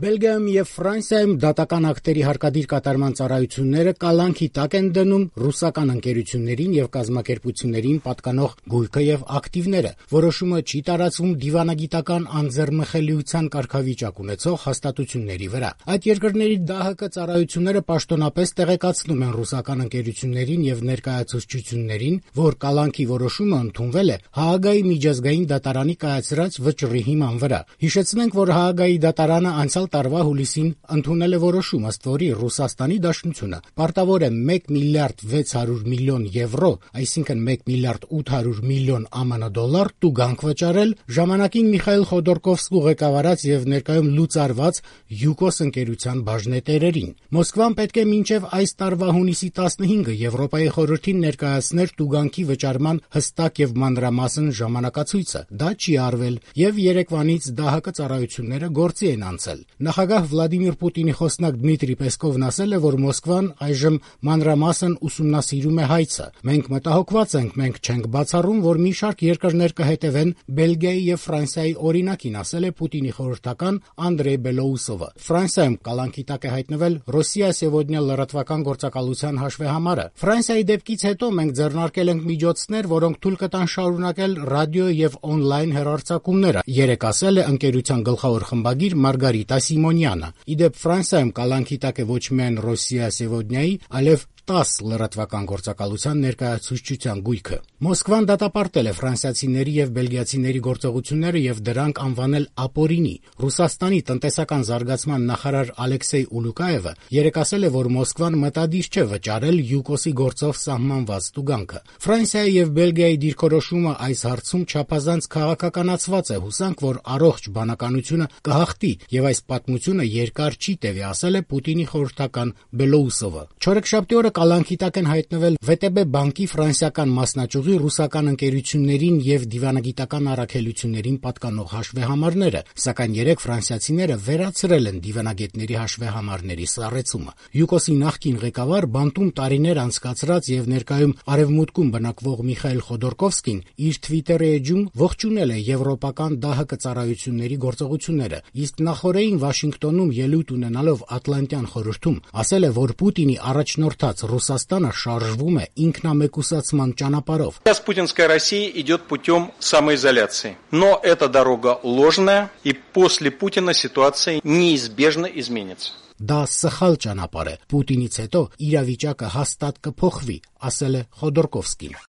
Բելգիայում եւ Ֆրանսիայում դատական ակտերի հարկադիր կատարման ծառայությունները կալանքի տակ են դնում ռուսական ընկերություններին եւ կազմակերպություններին պատկանող գույքը եւ ակտիվները։ Որոշումը չի տարածվում դիվանագիտական անձեռնմխելիության կարգավիճակ ունեցող հաստատությունների վրա։ Այդ երկրների ԴՀԿ ծառայությունները պաշտոնապես տեղեկացնում են ռուսական ընկերություններին եւ ներկայացուցչություններին, որ կալանքի որոշումը ընդունվել է Հաագայի միջազգային դատարանի կայացրած վճռի հիման վրա։ Հիշեցնենք, որ Հաագայի դատարանը անցյալ տարվա հուլիսին ընդունել է որոշում, ըստ որի Ռուսաստանի Դաշնությունը պարտավոր է 1 միլիարդ 600 միլիոն եվրո, այսինքն 1 միլիարդ 800 միլիոն ԱՄՆ դոլար տուգանք վճարել ժամանակին Միխայիլ Խոդորկովսկու ղեկավարած եւ ներկայում լուծարված ՅՈՒԿՕՍ ընկերության բաժնետերերին։ Մոսկվան պետք է մինչեւ այս տարվա հունիսի 15-ը Եվրոպայի խորհրդին ներկայացներ տուգանքի վճարման հստակ եւ մանրամասն ժամանակացույցը։ Դա չի արվել եւ երեկվանից ԴՀԿ ծառայությունները գործի են անցել։ Նախագահ Վլադիմիր Պուտինի խոսնակ Դմիտրի Պեսկովն ասել է, որ Մոսկվան այժմ մանրամասն ուսումնասիրում է հայցը։ Մենք մտահոգված ենք, մենք չենք բացառում, որ մի շարք երկրներ կհետևեն Բելգիայի եւ Ֆրանսիայի օրինակին, ասել է Պուտինի խորհրդական Անդրեյ Բելոուսովը։ Ֆրանսիայում կալանքի տակ է հայտնվել Ռոսիա Սեվոդնյա լրատվական գործակալության հաշվեհամարը։ Ֆրանսիայի դեպքից հետո մենք ձեռնարկել ենք միջոցներ, որոնք թույլ կտան շարունակել ռադիո եւ օնլայն հեռարձակումները, երեկ ասել է ընկերության գլխավոր խմբագիր Մարգարիտա Սիմոնյանը։ Իդեպ Ֆրանսիայում կալանքի տակ է ոչ միայն Ռոսիա Սեվոդնյայի, այլև 10 լրատվական գործակալության ներկայացուցչության գույքը։ Մոսկվան դատապարտել է ֆրանսիացիների եւ բելգիացիների գործողությունները եւ դրանք անվանել ապօրինի։ Ռուսաստանի տնտեսական զարգացման նախարար Ալեքսեյ Ուլուկաևը երեկ ասել է, որ Մոսկվան մտադիր չէ վճարել ՅՈՒԿՕՍ-ի գործով սահմանված տուգանքը։ Ֆրանսիայի եւ Բելգիայի դիրքորոշումը այս հարցում չափազանց քաղաքականացված է, հուսանք, որ առողջ բանականությունը կհաղթի եւ այս պատմությունը երկար չի տևի, ասել է Պուտինի խորհրդական Բելոուսովը։ Չորեքշաբթի օրը կալանքի տակ են հայտնվել ՎՏԲ բանկի ֆրանսիական մասնաճյուղի ռուսական ընկերություններին եւ դիվանագիտական առաքելություններին պատկանող հաշվեհամարները, սակայն երեք ֆրանսիացիները վերացրել են դիվանագետների հաշվեհամարների սառեցումը։ ՅՈՒԿՕՍ-ի նախկին ղեկավար բանտում տարիներ անցկացրած եւ ներկայում արևմուտքում բնակվող Միխայիլ Խոդորկովսկին իր Twitter-ի էջում ողջունել է եվրոպական ԴՀԿ ծառայությունների գործողությունները, իսկ նախորդին Վաշինգտոնում ելույթ ունենալով Ատլանտյան խորհրդում ասել է, որ Պուտինի առաջնորդած Ռուսաստանը շարժվում է ինքնամեկուսացման ճանապարհով։ Сейчас путинская Россия идет путем самоизоляции. Но эта дорога ложная, и после Путина ситуация неизбежно изменится. Դա սխալ ճանապարհ է։ Պուտինից հետո իրավիճակը հաստատ կփոխվի, ասել է Խոդորկովսկին։